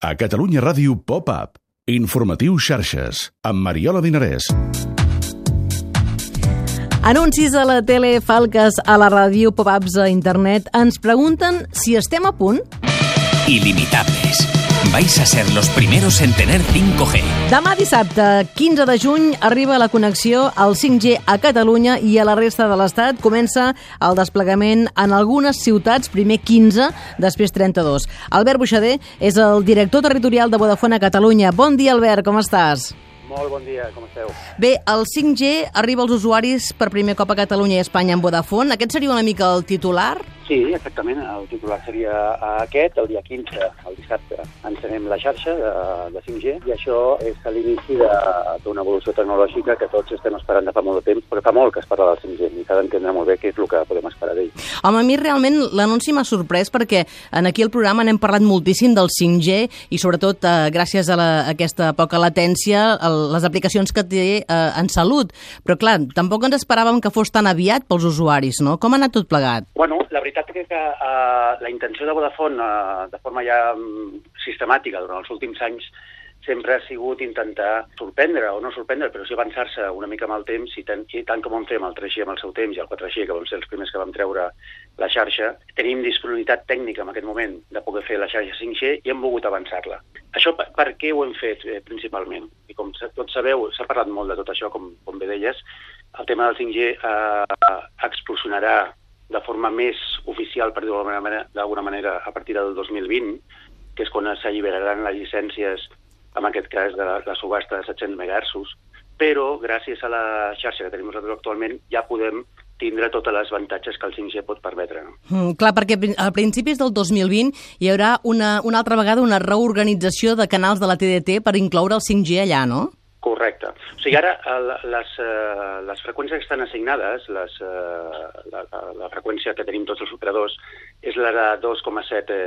A Catalunya Ràdio Pop-Up. Informatiu Xarxes, amb Mariola Dinarès. Anuncis a la tele, falques a la ràdio, pop-ups a internet. Ens pregunten si estem a punt. Ilimitables. Vais a ser los primeros en tener 5G. Demà dissabte, 15 de juny, arriba la connexió al 5G a Catalunya i a la resta de l'Estat. Comença el desplegament en algunes ciutats, primer 15, després 32. Albert Buixader és el director territorial de Vodafone a Catalunya. Bon dia, Albert, com estàs? Molt bon dia, com esteu? Bé, el 5G arriba als usuaris per primer cop a Catalunya i Espanya amb Vodafone. Aquest seria una mica el titular? Sí, exactament. El titular seria aquest, el dia 15, el dissabte. Encenem la xarxa de 5G i això és l'inici d'una evolució tecnològica que tots estem esperant de fa molt de temps, perquè fa molt que es parla del 5G i s'ha d'entendre molt bé què és el que podem esperar d'ell. Home, a mi realment l'anunci m'ha sorprès perquè aquí al programa n'hem parlat moltíssim del 5G i sobretot gràcies a aquesta poca latència, les aplicacions que té en salut. Però clar, tampoc ens esperàvem que fos tan aviat pels usuaris, no? Com ha anat tot plegat? Bueno, la veritat és que la intenció de Vodafone, de forma ja sistemàtica durant els últims anys, sempre ha sigut intentar sorprendre, o no sorprendre, però sí avançar-se una mica amb el temps, i tant com vam fer amb el 3G amb el seu temps i el 4G, que vam ser els primers que vam treure la xarxa, tenim disponibilitat tècnica en aquest moment de poder fer la xarxa 5G i hem volgut avançar-la. Això per què ho hem fet principalment? I com tots sabeu, s'ha parlat molt de tot això, com bé deies, el tema del 5G explosionarà de forma més oficial, per dir-ho d'alguna manera, a partir del 2020, que és quan s'alliberaran les llicències, en aquest cas de la subhasta de 700 MHz, però gràcies a la xarxa que tenim nosaltres actualment ja podem tindre totes les avantatges que el 5G pot permetre. Clar, perquè a principis del 2020 hi haurà una altra vegada una reorganització de canals de la TDT per incloure el 5G allà, no? Correcte. O sigui, ara les freqüències que estan assignades, la freqüència que tenim tots els operadors, és la de 2,7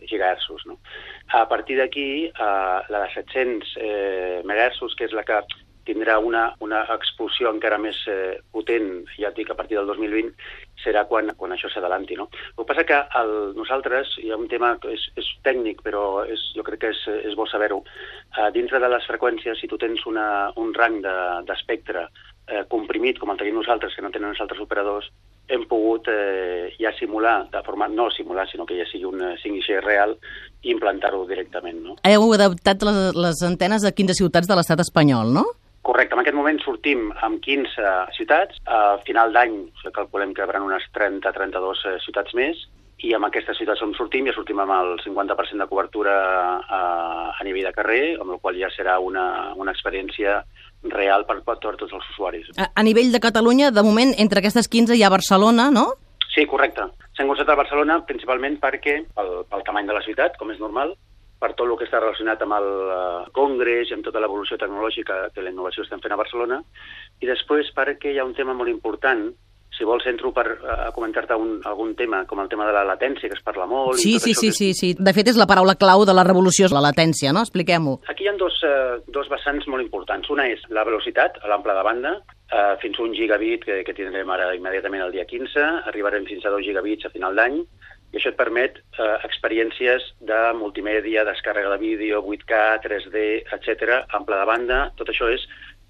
GHz. No? A partir d'aquí, la de 700 MHz, que és la que tindrà una explosió encara més potent, ja et dic, a partir del 2020, serà quan això s'adalanti. No? El que passa que nosaltres, hi ha un tema que és tècnic, però jo crec que és bo saber-ho. Dintre de les freqüències, si tu tens un rang d'espectre comprimit, com el tenim nosaltres, que no tenen els altres operadors, hem pogut ja simular, de forma no simular, sinó que ja sigui un 5G real, i implantar-ho directament. No? Heu adaptat les antenes a 15 ciutats de l'estat espanyol, no? Correcte. En aquest moment sortim amb 15 ciutats. A final d'any calculem que hi haurà unes 30-32 ciutats més, i amb aquestes ciutats on sortim, ja sortim amb el 50% de cobertura a nivell de carrer, amb la qual ja serà una experiència real per tots els usuaris. A nivell de Catalunya, de moment, entre aquestes 15 hi ha Barcelona, no? Sí, correcte. S'han concentrat a Barcelona principalment perquè, pel tamany de la ciutat, com és normal, per tot el que està relacionat amb el Congrés i amb tota l'evolució tecnològica de la innovació que estem fent a Barcelona, i després perquè hi ha un tema molt important. Si vols, entro a comentar-te algun tema, com el tema de la latència, que es parla molt. Sí. De fet, és la paraula clau de la revolució, la latència, no? Expliquem-ho. Aquí hi ha dos vessants molt importants. Una és la velocitat, a l'ample de banda, fins a 1 gigabit, que tindrem ara immediatament el dia 15, arribarem fins a 2 gigabits a final d'any, i això et permet experiències de multimèdia, descàrrega de vídeo, 8K, 3D, etc., ample de banda. Tot això és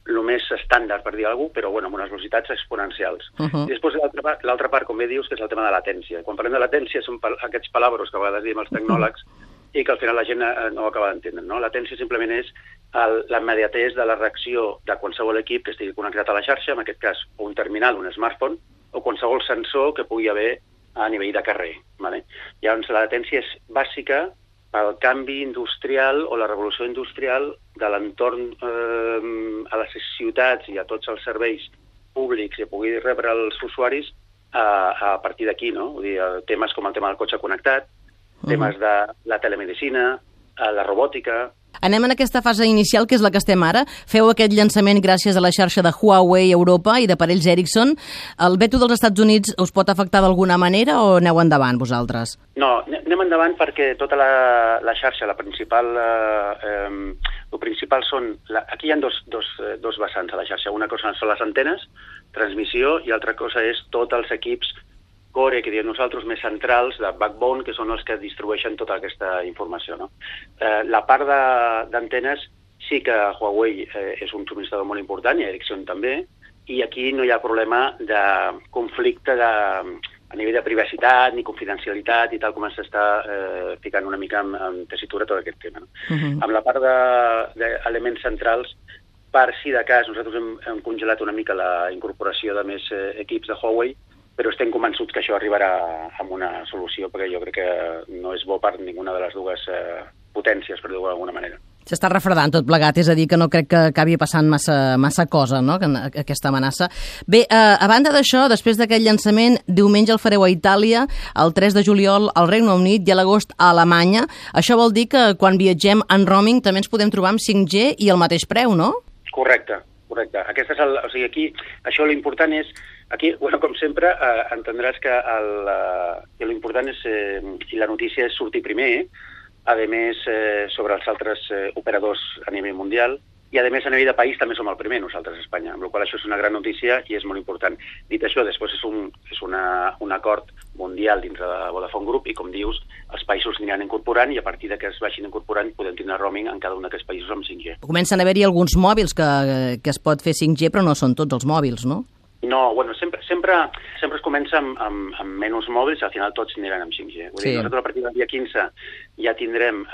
el més estàndard, per dir alguna cosa, però amb unes velocitats exponencials. I després l'altra part, com bé dius, que és el tema de latència. Quan parlem de latència són aquests palabros que a vegades diem els tecnòlegs i que al final la gent no ho acaba d'entendre. No? Latència simplement és la immediatesa de la reacció de qualsevol equip que estigui connectat a la xarxa, en aquest cas un terminal, un smartphone, o qualsevol sensor que pugui haver a nivell de carrer. Vale? Llavors, la latència és bàsica pel canvi industrial o la revolució industrial de l'entorn a les ciutats i a tots els serveis públics i pugui rebre els usuaris a partir d'aquí, no? Vull dir, temes com el tema del cotxe connectat, temes de la telemedicina, la robòtica. Anem en aquesta fase inicial, que és la que estem ara. Feu aquest llançament gràcies a la xarxa de Huawei a Europa i d'aparells Ericsson. El veto dels Estats Units us pot afectar d'alguna manera o aneu endavant vosaltres? No, anem endavant perquè tota la xarxa, el principal són... Aquí hi ha dos vessants a la xarxa. Una cosa són les antenes, transmissió, i altra cosa és tots els equips core, que diem nosaltres, més centrals, de backbone, que són els que distribueixen tota aquesta informació. No? La part d'antenes sí que Huawei és un subministrador molt important, i Ericsson també, i aquí no hi ha problema de conflicte a nivell de privacitat ni confidencialitat i tal com s'està ficant una mica en tessitura tot aquest tema. No? Amb la part d'elements centrals, per si de cas, nosaltres hem congelat una mica la incorporació de més equips de Huawei, però estem convençuts que això arribarà amb una solució, perquè jo crec que no és bo per ninguna de les dues potències, per dir-ho d'alguna manera. S'està refredant tot plegat, és a dir, que no crec que acabi passant massa cosa, no?, aquesta amenaça. Bé, a banda d'això, després d'aquest llançament, diumenge el fareu a Itàlia, el 3 de juliol al Regne Unit i a l'agost a Alemanya. Això vol dir que quan viatgem en roaming també ens podem trobar amb 5G i el mateix preu, no? Correcte. Aquest és o sigui, aquí, això l'important és, aquí, bueno, com sempre, entendràs que l'important és, i la notícia és sortir primer, a més, sobre els altres operadors a nivell mundial, i a més a nivell de país també som el primer nosaltres a Espanya, amb la qual cosa això és una gran notícia i és molt important. Dit això, després és un acord mundial dintre de Vodafone Group i, com dius, els països aniran incorporant i a partir que es vagin incorporant podem tindre roaming en cada un d'aquests països amb 5G. Comencen a haver-hi alguns mòbils que es pot fer 5G, però no són tots els mòbils, no? No, bueno, sempre es comença amb menys mòbils i al final tots aniran amb 5G. Vull dir, nosaltres a partir del dia 15 ja tindrem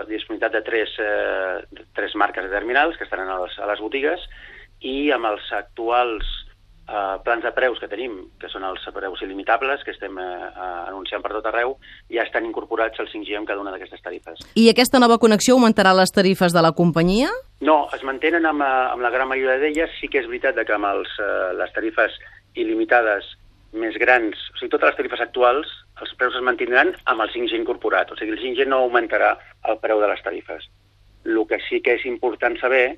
disponibilitat de tres marques de terminals que estaran a les botigues i amb els actuals plans de preus que tenim, que són els preus il·limitables, que estem anunciant per tot arreu, ja estan incorporats al 5G en cada una d'aquestes tarifes. I aquesta nova connexió augmentarà les tarifes de la companyia? No, es mantenen amb la gran majoria d'elles. Sí que és veritat que amb les tarifes il·limitades més grans, o sigui, totes les tarifes actuals, els preus es mantindran amb el 5G incorporat. O sigui, el 5G no augmentarà el preu de les tarifes. El que sí que és important saber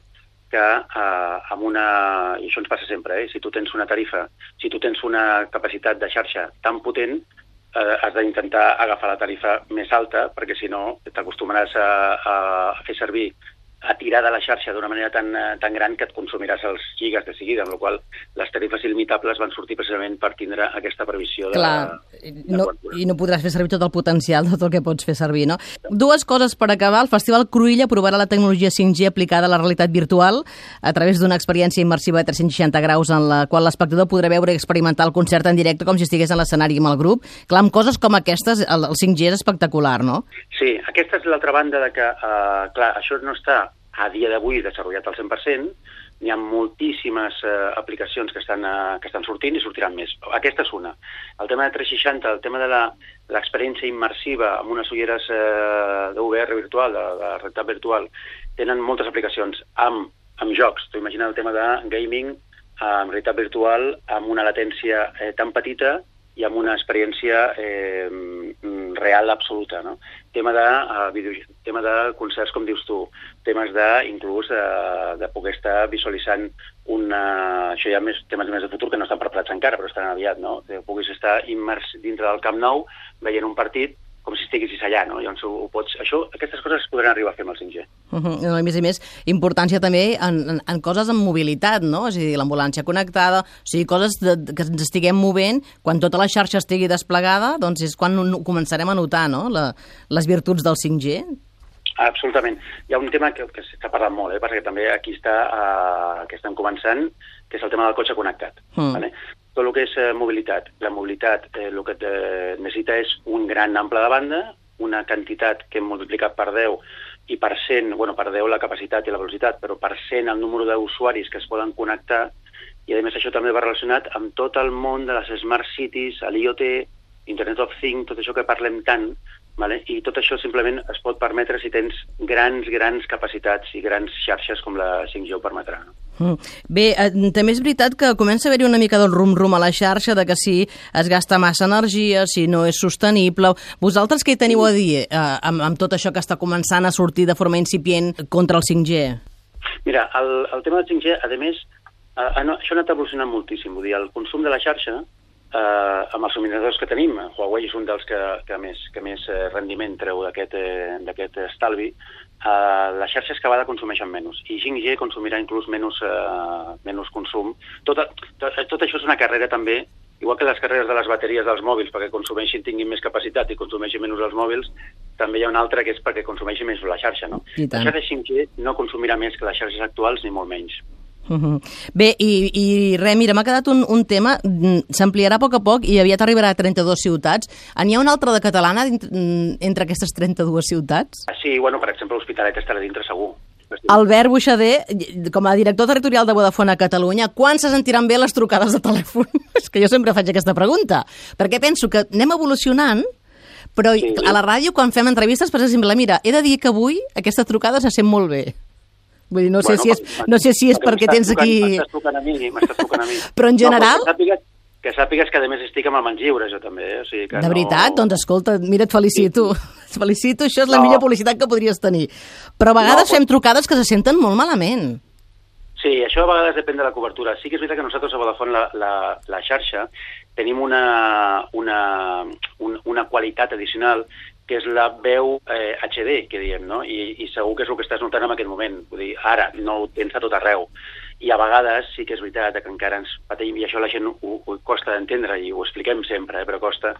que amb i això ens passa sempre, si tu tens una tarifa, si tu tens una capacitat de xarxa tan potent, has d'intentar agafar la tarifa més alta, perquè si no t'acostumaràs a fer servir, a tirar de la xarxa d'una manera tan gran que et consumiràs els gigas de seguida, amb la qual les tarifes il·limitables van sortir precisament per tindre aquesta previsió de... Clar, i no podràs fer servir tot el potencial de tot el que pots fer servir, no? Dues coses per acabar. El Festival Cruïlla provarà la tecnologia 5G aplicada a la realitat virtual a través d'una experiència immersiva de 360 graus en la qual l'espectador podrà veure i experimentar el concert en directe com si estigués en l'escenari amb el grup. Clar, amb coses com aquestes, el 5G és espectacular, no? Sí, aquesta és l'altra banda de que, clar, això no està a dia d'avui desenvolupat al 100%, n'hi ha moltíssimes aplicacions que estan sortint i sortiran més. Aquesta és una. El tema de 360, el tema de l'experiència immersiva amb unes ulleres de VR virtual, de realitat virtual, tenen moltes aplicacions amb jocs. Tu imagina el tema de gaming amb realitat virtual amb una latència tan petita i amb una experiència real absoluta, no? Tema de concerts, com dius tu, temes inclús de poder estar visualitzant això ja temes més de futur que no estan preparats encara, però estan aviat, no? Que puguis estar immers dintre del Camp Nou veient un partit com si estiguessis allà, no? Llavors aquestes coses es podran arribar a fer amb el 5G. A més, importància també en coses amb mobilitat, no? És a dir, l'ambulància connectada, o sigui, coses que ens estiguem movent, quan tota la xarxa estigui desplegada, doncs és quan començarem a notar, no?, les virtuts del 5G. Absolutament. Hi ha un tema que s'ha parlat molt, perquè també aquí que estan començant, que és el tema del cotxe connectat. Vale? Tot el que és mobilitat. La mobilitat el que necessita és un gran ample de banda, una quantitat que hem multiplicat per 10 i per 100, per 10 la capacitat i la velocitat, però per 100 el número d'usuaris que es poden connectar, i a més això també va relacionat amb tot el món de les Smart Cities, l'IoT, Internet of Things, tot això que parlem tant, vale? I tot això simplement es pot permetre si tens grans capacitats i grans xarxes com la 5G ho permetrà. Bé, també és veritat que comença a haver-hi una mica del rum-rum a la xarxa, de que si es gasta massa energia, si no és sostenible. Vosaltres què hi teniu a dir amb tot això que està començant a sortir de forma incipient contra el 5G? Mira, el tema del 5G, a més, això ha anat evolucionant moltíssim. Vull dir, el consum de la xarxa, amb els subministradors que tenim, Huawei és un dels que més rendiment treu d'aquest estalvi, les xarxes cada vegada consumeixen menys i 5G consumirà inclús menys consum. Tot això és una carrera també igual que les carreres de les bateries dels mòbils perquè tinguin més capacitat i consumeixin menys els mòbils, també hi ha una altra que és perquè consumeixi més la xarxa, no? La xarxa 5G no consumirà més que les xarxes actuals ni molt menys. Bé, i res, mira, m'ha quedat un tema, s'ampliarà a poc i aviat arribarà a 32 ciutats. N'hi ha una altra de catalana entre aquestes 32 ciutats? Sí, bueno, per exemple, l'Hospitalet estarà dintre segur. Albert Buixader, com a director territorial de Vodafone a Catalunya, quan se sentiran bé les trucades de telèfon? És que jo sempre faig aquesta pregunta, perquè penso que anem evolucionant, però a la ràdio, quan fem entrevistes, per exemple, mira, he de dir que avui aquesta trucada se sent molt bé. Vull dir, no sé si és perquè tens aquí... M'estàs trucant a mi. Però en general... Que sàpigues que a més estic amb mans lliures, jo també. O sigui que de veritat? Doncs escolta, mira, et felicito. Et felicito, això és la millor publicitat que podries tenir. Però a vegades fem trucades que se senten molt malament. Sí, això a vegades depèn de la cobertura. Sí que és veritat que nosaltres a Vodafone la xarxa tenim una qualitat addicional que és la veu HD, que diem, no? I segur que és el que estàs notant en aquest moment. Vull dir, ara, no ho tens a tot arreu. I a vegades sí que és veritat que encara ens patim, i això la gent ho costa d'entendre, i ho expliquem sempre, però costa,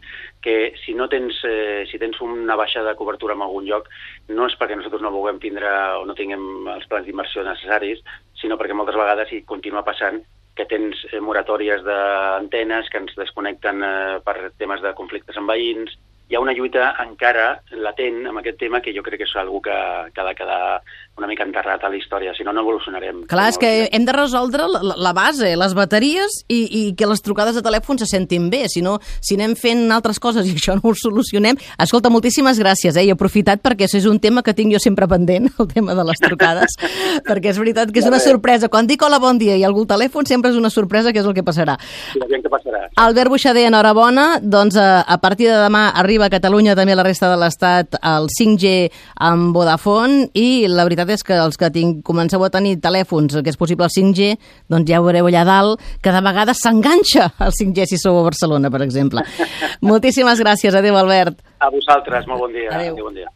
que si tens una baixada de cobertura en algun lloc, no és perquè nosaltres no vulguem tindre o no tinguem els plans d'inversió necessaris, sinó perquè moltes vegades hi continua passant que tens moratòries d'antenes que ens desconnecten per temes de conflictes amb veïns. Hi ha una lluita encara latent amb aquest tema que jo crec que és una que ha de quedar una mica enterrat a la història, si no, no evolucionarem. Clar, és que hem de resoldre la base, les bateries i que les trucades de telèfon se sentin bé, si no, si anem fent altres coses i això no ho solucionem... Escolta, moltíssimes gràcies, i he aprofitat perquè això és un tema que tinc jo sempre pendent, el tema de les trucades, perquè és veritat que és una sorpresa. Quan dic hola, bon dia i algú al telèfon sempre és una sorpresa, que és el que passarà. Sí, que passarà. Albert Buixader, enhorabona, doncs a partir de demà arriba a Catalunya, també a la resta de l'Estat, el 5G amb Vodafone, i la veritat és que els que comenceu a tenir telèfons que és possible el 5G, doncs ja ho veureu allà dalt, que de vegades s'enganxa el 5G si sou a Barcelona, per exemple. Moltíssimes gràcies. Adéu, Albert. A vosaltres, molt bon dia. Adéu. Bon dia.